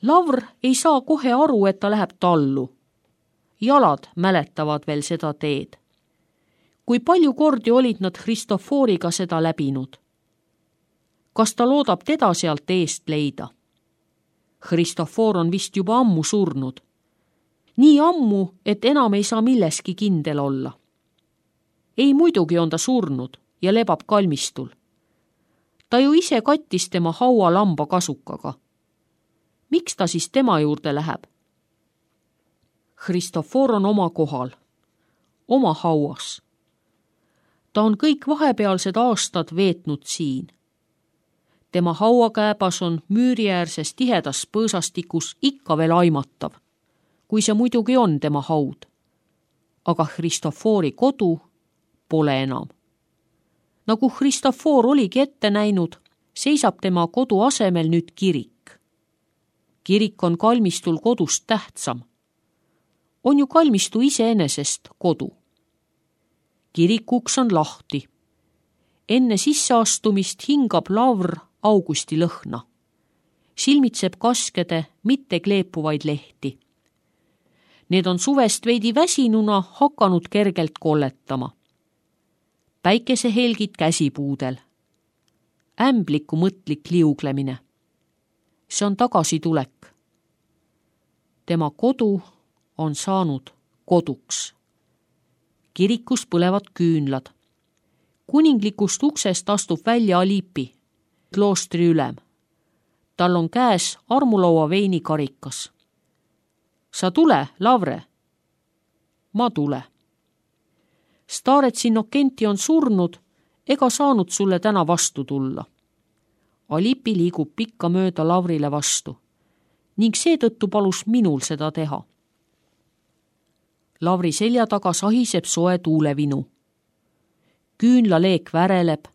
Lavr ei saa kohe aru, et ta läheb tallu. Jalad mäletavad veel seda teed. Kui palju kordi olid nad Christoforiga seda läbinud? Kas ta loodab teda sealt eest leida? Christofor on vist juba ammu surnud. Nii ammu, et enam ei saa milleski kindel olla. Ei, muidugi on ta surnud ja lebab kalmistul. Ta ju ise kattis tema haua lamba kasukaga. Miks ta siis tema juurde läheb? Christofor on oma kohal, oma hauas. Ta on kõik vahepealsed aastad veetnud siin. Tema hauakääbas on müüriäärses tihedas põõsastikus ikka veel aimatav, kui see muidugi on tema haud. Aga Christofori kodu pole enam. Nagu Christofor oligi ette näinud, seisab tema kodu asemel nüüd kirik. Kirik on kalmistul kodust tähtsam. On ju kalmistu iseenesest kodu. Kirikuks on lahti. Enne sisseastumist hingab Lavr augusti lõhna. Silmitseb kaskede, mitte kleepuvaid lehti. Need on suvest veidi väsinuna hakanud kergelt kolletama. Päikesehelgid käsipuudel. Ämbliku mõtlik liuglemine. See on tagasitulek. Tema kodu on saanud koduks. Kirikus põlevad küünlad. Kuninglikust uksest astub välja Alipi, kloostri ülem. Tal on käes armulaua veinikarikas. Sa tule, Lavre. Ma tule. Starets Innokenti on surnud ega saanud sulle täna vastu tulla. Alipi liigub pikka mööda Lavrile vastu ning seetõttu palus minul seda teha. Lavri selja taga sahiseb soe tuulevinu. Küünlaleek väreleb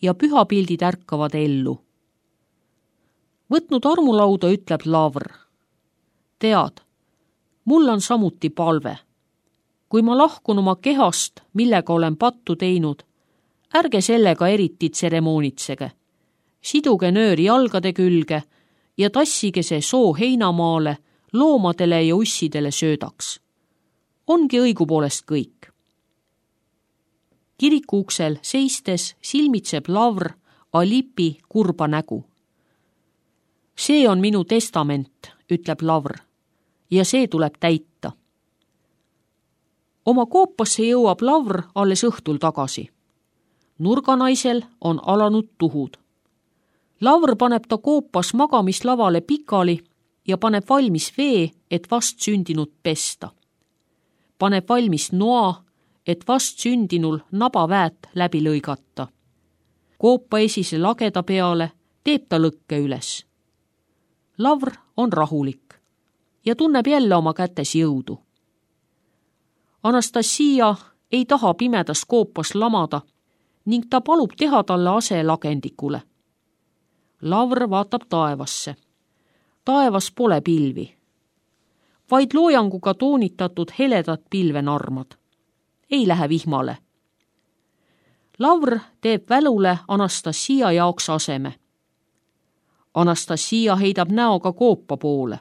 ja pühapildid ärkavad ellu. Võtnud armulauda ütleb Lavr. Tead, mul on samuti palve. Kui ma lahkun oma kehast, millega olen pattu teinud, ärge sellega eriti tseremoonitsege. Siduge nööri jalgade külge ja tassige see soo heinamaale loomadele ja ussidele söödaks. Ongi õigupoolest kõik. Kiriku uksel seistes silmitseb Lavr Alipi kurba nägu. See on minu testament, ütleb Lavr, ja see tuleb täita. Oma koopasse jõuab Lavr alles õhtul tagasi. Nurganaisel on alanud tuhud. Lavr paneb ta koopas magamislavale pikali ja paneb valmis vee, et vast sündinud pesta. Paneb valmis noa, et vast sündinul nabaväät läbi lõigata. Koopa esise lageda peale teeb ta lõkke üles. Lavr on rahulik ja tunneb jälle oma kätes jõudu. Anastasia ei taha pimedas koopas lamada ning ta palub teha talle ase lagendikule. Lavr vaatab taevasse. Taevas pole pilvi. Vaid loojanguga toonitatud heledad pilvenarmad. Ei lähe vihmale. Lavr teeb välule Anastasia jaoks aseme. Anastasia heidab näoga koopa poole.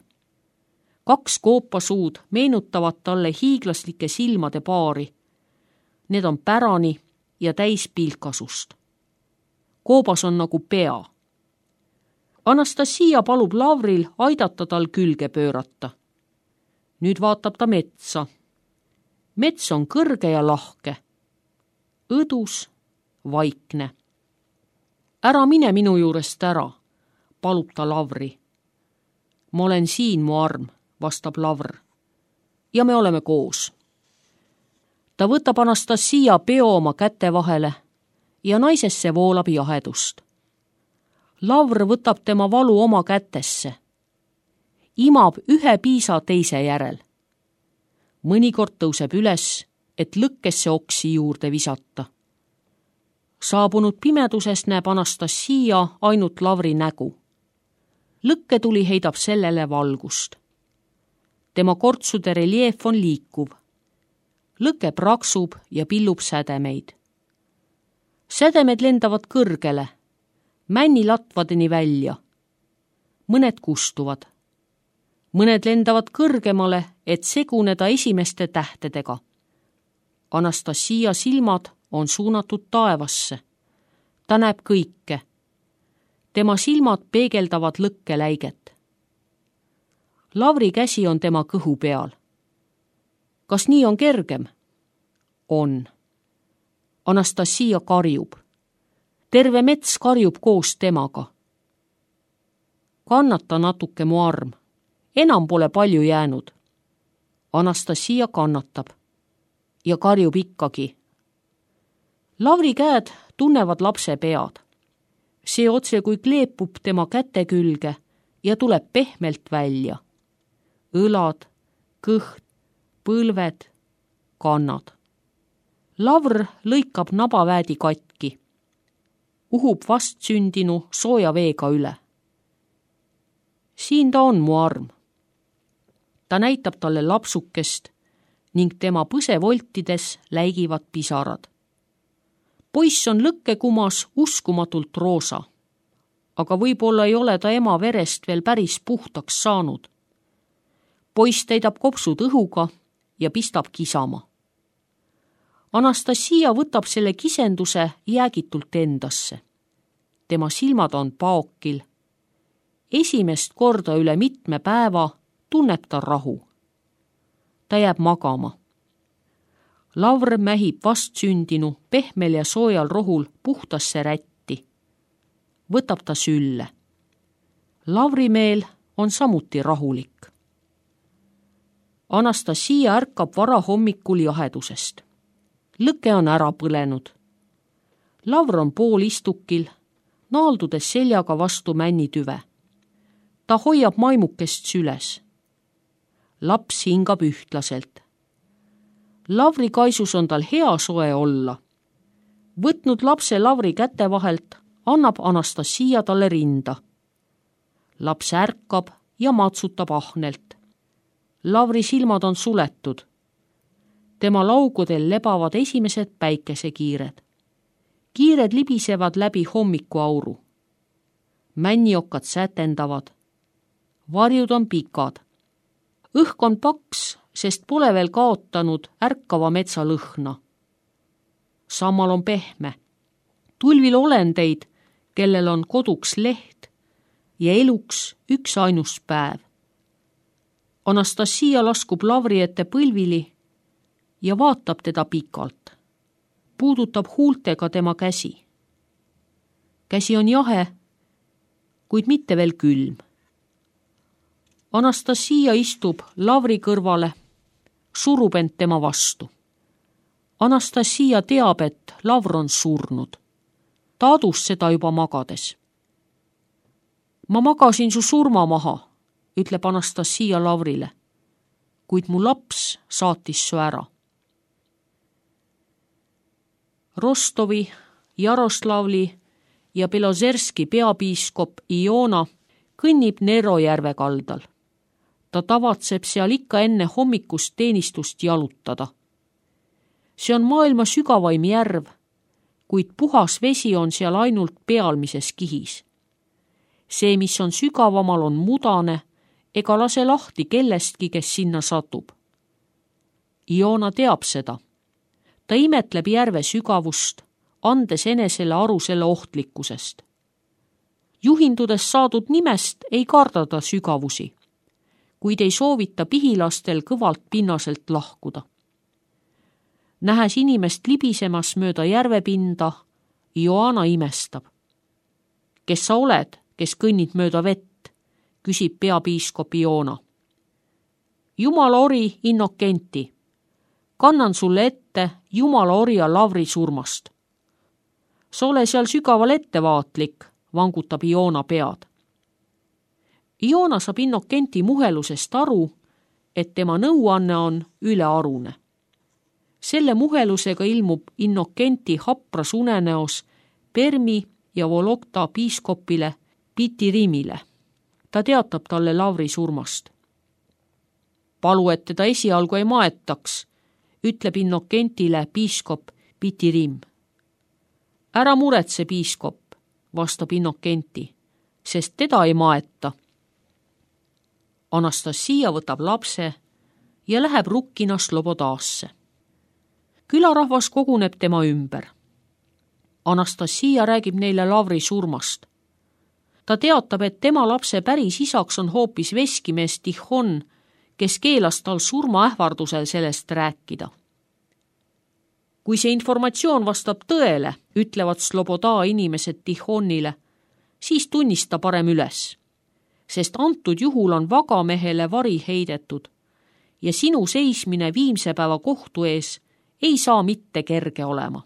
2 koopasuud meenutavad talle hiiglaslike silmade paari. Need on pärani ja täis pilkasust. Koobas on nagu pea. Anastasia palub Lavril aidata tal külge pöörata. Nüüd vaatab ta metsa. Mets on kõrge ja lahke. Õdus, vaikne. Ära mine minu juurest ära, palub ta Lavri. Ma olen siin, mu arm, vastab Lavr. Ja me oleme koos. Ta võtab Anastasia peo oma käte vahele ja naisesse voolab jahedust. Lavr võtab tema valu oma kätesse. Imab ühe piisa teise järel. Mõnikord tõuseb üles, et lõkkesse oksi juurde visata. Saabunud pimeduses näeb Anastasia ainult Lavri nägu. Lõkketuli heidab sellele valgust. Tema kortsude reljeef on liikuv. Lõke praksub ja pillub sädemeid. Sädemed lendavad kõrgele, männilatvadeni välja. Mõned kustuvad. mõned lendavad kõrgemale, et seguneda esimeste tähtedega. Anastasia silmad on suunatud taevasse. Ta näeb kõike. Tema silmad peegeldavad lõkkeläiget. Lavri käsi on tema kõhu peal. Kas nii on kergem? On. Anastasia karjub. Terve mets karjub koos temaga. Kannata natuke, mu arm. Enam pole palju jäänud. Anastasia kannatab ja karjub ikkagi. Lavri käed tunnevad lapse pead. See otse kui kleepub tema käte külge ja tuleb pehmelt välja. Õlad, kõht, põlved, kannad. Lavr lõikab nabaväädi katki. Uhub vastsündinu sooja veega üle. Siin ta on, mu arm. Ta näitab talle lapsukest ning tema põsevoltides läigivad pisarad. Poiss on lõkkekumas uskumatult roosa, aga võib-olla ei ole ta ema verest veel päris puhtaks saanud. Poiss täidab kopsud õhuga ja pistab kisama. Anastasia võtab selle kisenduse jäägitult endasse. Tema silmad on paokil. Esimest korda üle mitme päeva tunneb ta rahu. Ta jääb magama. Lavr mähib vastsündinu pehmel ja soojal rohul puhtasse rätti. Võtab ta sülle. Lavri meel on samuti rahulik. Anastasia ärkab varahommikul jahedusest. Lõke on ära põlenud. Lavr on poolistukil, naaldudes seljaga vastu männitüve. Ta hoiab maimukest süles. Laps hingab ühtlaselt. Lavri kaisus on tal hea soe olla. Võtnud lapse Lavri käte vahelt, annab Anastasia talle rinda. Laps ärkab ja matsutab ahnelt. Lavri silmad on suletud. Tema laugudel lebavad esimesed päikesekiired. Kiired libisevad läbi hommikuauru. Männiokad sätendavad. Varjud on pikad. Õhk on paks, sest pole veel kaotanud ärkava metsa lõhna. Sammal on pehme. Tulvil olendeid, kellel on koduks leht ja eluks üks ainus päev. Anastasia laskub Lavri ette põlvili ja vaatab teda pikalt. Puudutab huultega tema käsi. Käsi on jahe, kuid mitte veel külm. Anastasia istub Lavri kõrvale, surub end tema vastu. Anastasia teab, et Lavr on surnud. Ta adus seda juba magades. Ma magasin su surma maha, ütleb Anastasia Lavrile, kuid mu laps saatis su ära. Rostovi, Jaroslavli ja Belozerski peapiiskop Iona kõnnib Nero järve kaldal. Ta tavatseb seal ikka enne hommikust teenistust jalutada. See on maailma sügavaim järv, kuid puhas vesi on seal ainult pealmises kihis. See, mis on sügavamal, on mudane ega lase lahti kellestki, kes sinna satub. Iona teab seda. Ta imetleb järve sügavust, andes enesele aru selle ohtlikkusest. Juhindudes saadud nimest ei karda ta sügavusi, kuid ei soovita pihilastel kõvalt pinnaselt lahkuda. Nähes inimest libisemas mööda järvepinda, Joana imestab. Kes sa oled, kes kõnnid mööda vett, küsib peapiiskop Iona. Jumala ori Innokenti. Kannan sulle ette Jumala orja Lavri surmast. Sa ole seal sügaval ettevaatlik, vangutab Iona pead. Iona saab Innokenti muhelusest aru, et tema nõuanne on ülearune. Selle muhelusega ilmub Innokenti hapras unenäos Permi ja Vologda piiskopile Pitirimile. Ta teatab talle Lavri surmast. Palu, et teda esialgu ei maetaks, ütleb Innokentile piiskop Pitirim. Ära muretse, piiskop, vastab Innokenti, sest teda ei maeta. Anastassia võtab lapse ja läheb Rukkina Slobodaasse. Külarahvas koguneb tema ümber. Anastassia räägib neile Lavri surmast. Ta teatab, et tema lapse päris isaks on hoopis veskimees Tihon, kes keelas tal surmaähvardusel sellest rääkida. Kui see informatsioon vastab tõele, ütlevad Sloboda inimesed Tihonile, siis tunnista parem üles, sest antud juhul on vagamehele vari heidetud ja sinu seismine viimse päeva kohtu ees ei saa mitte kerge olema.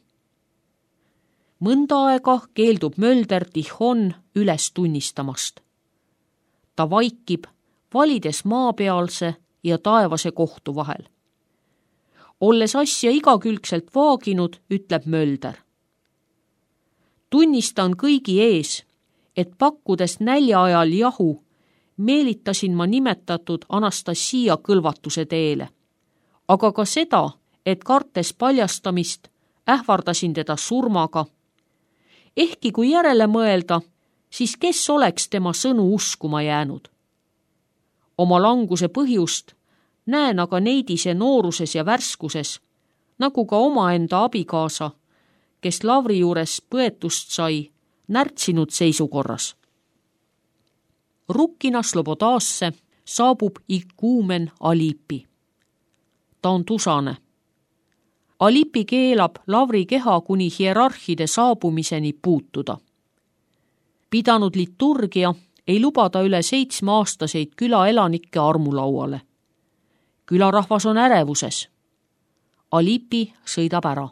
Mõnda aega keeldub Mölder Tihon üles tunnistamast. Ta vaikib, valides maapealse ja taevase kohtu vahel. Olles asja igakülgselt vaaginud, ütleb Mölder. Tunnistan kõigi ees, et pakkudes nälja ajal jahu, meelitasin ma nimetatud Anastassia kõlvatuse teele, aga ka seda, et kartes paljastamist, ähvardasin teda surmaga. Ehkki kui järele mõelda, siis kes oleks tema sõnu uskuma jäänud? Oma languse põhjust näen aga neidise nooruses ja värskuses, nagu ka omaenda abikaasa, kes Lavri juures põetust sai, närtsinud seisukorras. Rukkina Slobodaasse saabub ikuumen Alipi. Ta on tusane. Alipi keelab Lavri keha kuni hierarhide saabumiseni puutuda. Pidanud liturgia ei lubada üle 7-aastaseid külaelanikke armulauale. Külarahvas on ärevuses. Alipi sõidab ära.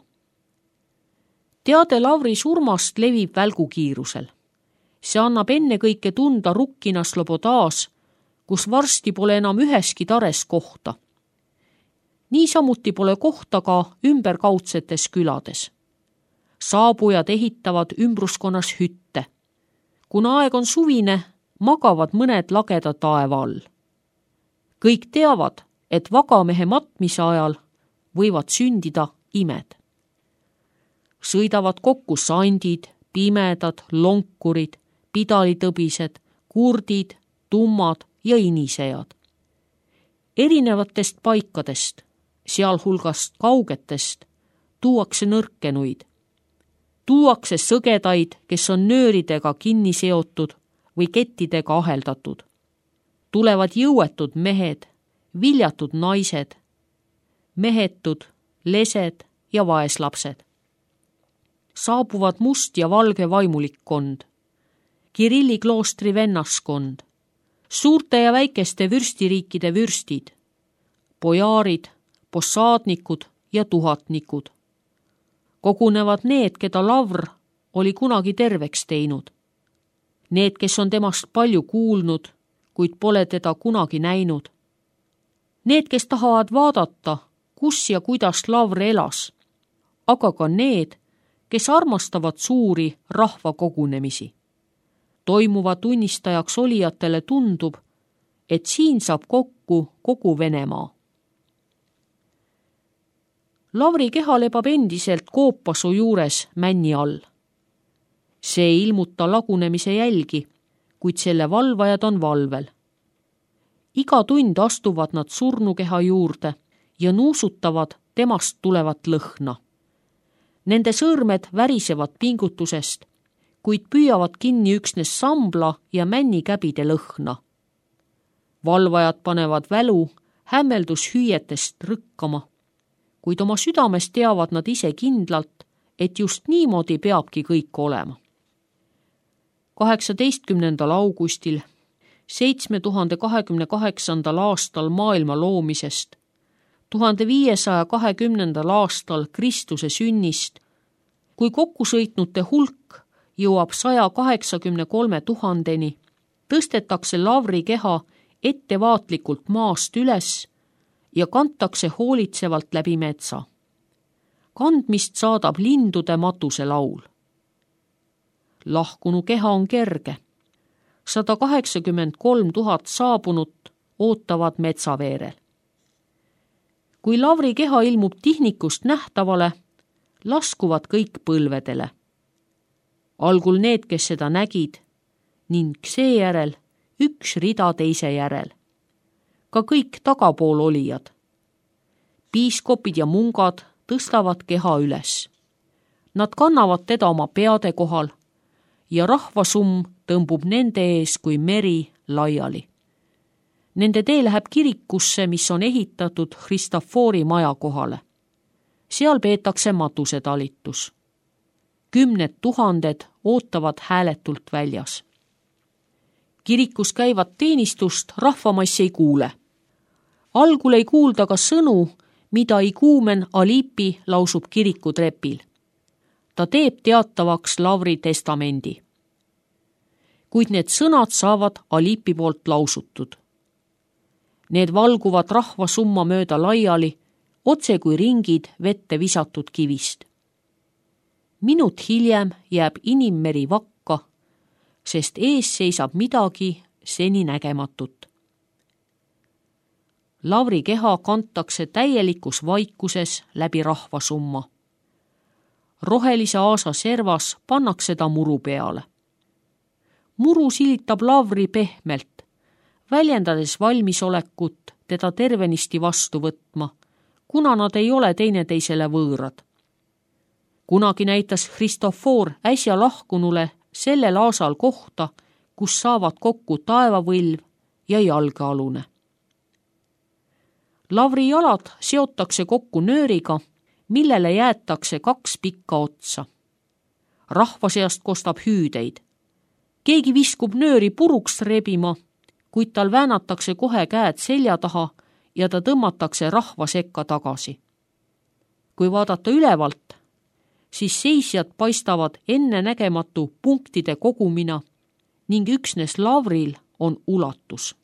Teade Lavri surmast levib välgukiirusel. See annab ennekõike tunda Rukkina Slobodaas, kus varsti pole enam üheski tares kohta. Niisamuti pole kohta ka ümberkaudsetes külades. Saabujad ehitavad ümbruskonnas hütte. Kuna aeg on suvine, magavad mõned lageda taeva all. Kõik teavad, et vagamehe matmise ajal võivad sündida imed. Sõidavad kokku sandid, pimedad, lonkurid, pidalitõbised, kurdid, tummad ja inisejad. Erinevatest paikadest, sealhulgast kaugetest, tuuakse nõrkenuid. Tuuakse sõgedaid, kes on nööridega kinni seotud või kettidega aheldatud. Tulevad jõuetud mehed, viljatud naised, mehetud, lesed ja vaeslapsed. Saabuvad must ja valge vaimulikkond, Kirilli kloostri vennaskond, suurte ja väikeste vürstiriikide vürstid, pojaarid, possaadnikud ja tuhatnikud. Kogunevad need, keda Lavr oli kunagi terveks teinud. Need, kes on temast palju kuulnud, kuid pole teda kunagi näinud. Need, kes tahavad vaadata, kus ja kuidas Lavr elas, aga ka need, kes armastavad suuri rahvakogunemisi. Toimuva tunnistajaks olijatele tundub, et siin saab kokku kogu Venemaa. Lavri keha lebab endiselt koopasu juures männi all. See ei ilmuta lagunemise jälgi, kuid selle valvajad on valvel. Iga tund astuvad nad surnukeha juurde ja nuusutavad temast tulevat lõhna. Nende sõrmed värisevad pingutusest, kuid püüavad kinni üksnes sambla ja männikäbide lõhna. Valvajad panevad välu hämmeldushüüetest rõkkama, kuid oma südames teavad nad ise kindlalt, et just niimoodi peabki kõik olema. 18. augustil 7028. aastal maailma loomisest, 1520. aastal Kristuse sünnist, kui kokkusõitnute hulk jõuab 183 000-ni, tõstetakse Lavri keha ettevaatlikult maast üles ja kantakse hoolitsevalt läbi metsa. Kandmist saadab lindude matuselaul. Lahkunu keha on kerge. 183 000 saabunut ootavad metsaveerel. Kui Lavri keha ilmub tihnikust nähtavale, laskuvad kõik põlvedele. Algul need, kes seda nägid, ning seejärel üks rida teise järel. ka kõik tagapool olijad. Piiskopid ja mungad tõstavad keha üles. Nad kannavad teda oma peade kohal ja rahvasumm tõmbub nende ees kui meri laiali. Nende tee läheb kirikusse, mis on ehitatud Christophori maja kohale. Seal peetakse matusetalitus. 10 000 ootavad hääletult väljas. Kirikus käivat teenistust rahvamass ei kuule. Algul ei kuulda ka sõnu, mida iguumen Alipi lausub kirikutrepil. Ta teeb teatavaks Lavri testamendi. Kuid need sõnad saavad Alipi poolt lausutud. Need valguvad rahvasumma mööda laiali, otse kui ringid vette visatud kivist. Minut hiljem jääb inimmeri vakka, sest ees seisab midagi seni nägematut. Lavri keha kantakse täielikus vaikuses läbi rahvasumma. Rohelise aasa servas pannakse ta muru peale. Muru silitab Lavri pehmelt, väljendades valmisolekut teda tervenisti vastu võtma, kuna nad ei ole teineteisele võõrad. Kunagi näitas Christophor äsja lahkunule sellel aasal kohta, kus saavad kokku taevavõlv ja jalgealune. Lavri jalad seotakse kokku nööriga, millele jäetakse 2 pikka otsa. Rahva seast kostab hüüdeid. Keegi viskub nööri puruks rebima, kuid tal väänatakse kohe käed selja taha ja ta tõmmatakse rahva sekka tagasi. Kui vaadata ülevalt, siis seisjad paistavad ennenägematu punktide kogumina ning üksnes Lavril on ulatus.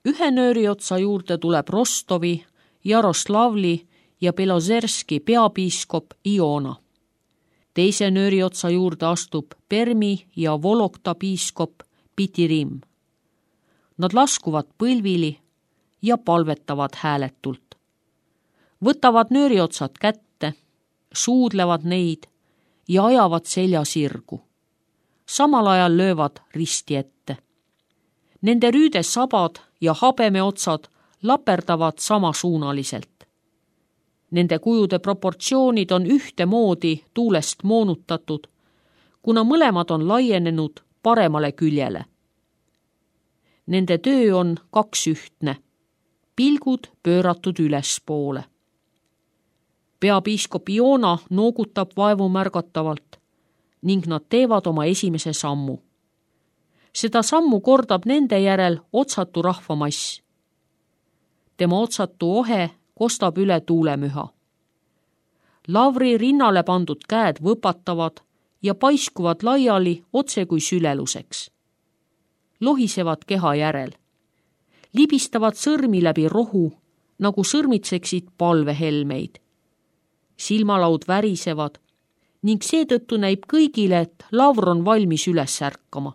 Ühe nööri otsa juurde tuleb Rostovi, Jaroslavli ja Belozerski peapiiskop Iona. Teise nööri otsa juurde astub Permi ja Vologda piiskop Pitirim. Nad laskuvad põlvili ja palvetavad hääletult. Võtavad nööriotsad kätte, suudlevad neid ja ajavad selja sirgu. Samal ajal löövad risti ette. Nende rüüde sabad ja habemeotsad laperdavad samasuunaliselt. Nende kujude proportsioonid on ühtemoodi tuulest moonutatud, kuna mõlemad on laienenud paremale küljele. Nende töö on 2 ühtne, pilgud pööratud ülespoole. Peapiiskop Iona noogutab vaevu märgatavalt ning nad teevad oma esimese sammu. Seda sammu kordab nende järel otsatu rahvamass. Tema otsatu ohe kostab üle tuulemüha. Lavri rinnale pandud käed võpatavad ja paiskuvad laiali otse kui süleluseks. Lohisevad keha järel. Libistavad sõrmi läbi rohu, nagu sõrmitseksid palvehelmeid. Silmalaud värisevad ning seetõttu näib kõigile, et Lavr on valmis üles ärkama.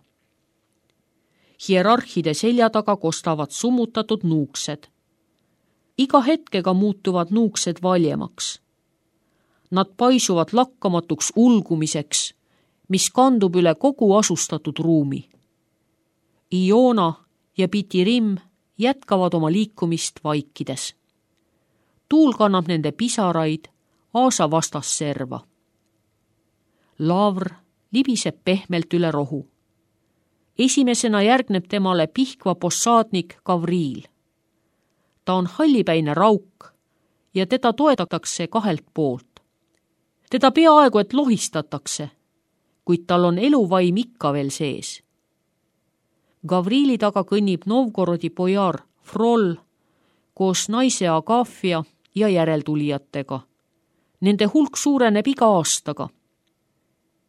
Hierarhide selja taga kostavad summutatud nuuksed. Iga hetkega muutuvad nuuksed valjemaks. Nad paisuvad lakkamatuks ulgumiseks, mis kandub üle kogu asustatud ruumi. Iona ja Pitirim jätkavad oma liikumist vaikides. Tuul kannab nende pisaraid aasa vastasserva. Lavr libiseb pehmelt üle rohu. Esimesena järgneb temale Pihkva possaadnik Gavriil. Ta on hallipäine rauk ja teda toetatakse 2 poolt. Teda peaaegu et lohistatakse, kuid tal on eluvaim ikka veel sees. Gavriili taga kõnnib Novgorodi pojar Frol koos naise Agafia ja järeltulijatega. Nende hulk suureneb iga aastaga.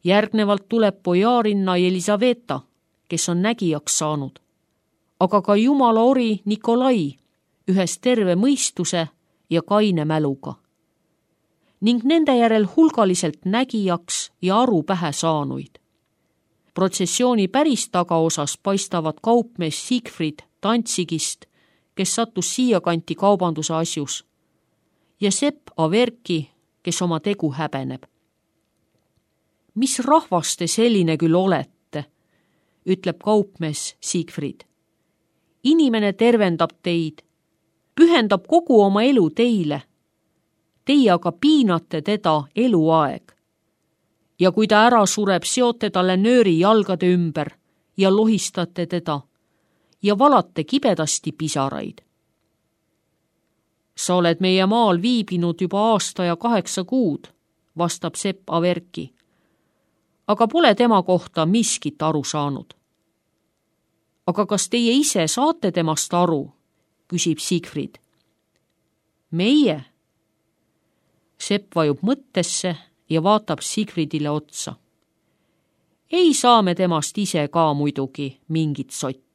Järgnevalt tuleb pojarinna Elisaveta, kes on nägijaks saanud, aga ka jumala ori Nikolai, ühes terve mõistuse ja kaine mäluga. Ning nende järel hulgaliselt nägijaks ja aru pähe saanuid. Protsessiooni päris tagaosas paistavad kaupmees Siegfried Tantsigist, kes sattus siia kanti kaubanduse asjus, ja Sepp Averki, kes oma tegu häbeneb. Mis rahvas te selline küll olete, ütleb kaupmees Siegfried. inimene tervendab teid, pühendab kogu oma elu teile. Teie aga piinate teda eluaeg. Ja kui ta ära sureb, seote talle nööri jalgade ümber ja lohistate teda ja valate kibedasti pisaraid. Sa oled meie maal viibinud juba aasta ja 8 kuud, vastab sepp Averki, aga pole tema kohta miskit aru saanud. Aga kas teie ise saate temast aru, küsib Siegfried. Meie? Sepp vajub mõttesse ja vaatab Siegfriedile otsa. Ei saa me temast ise ka muidugi mingit sotti.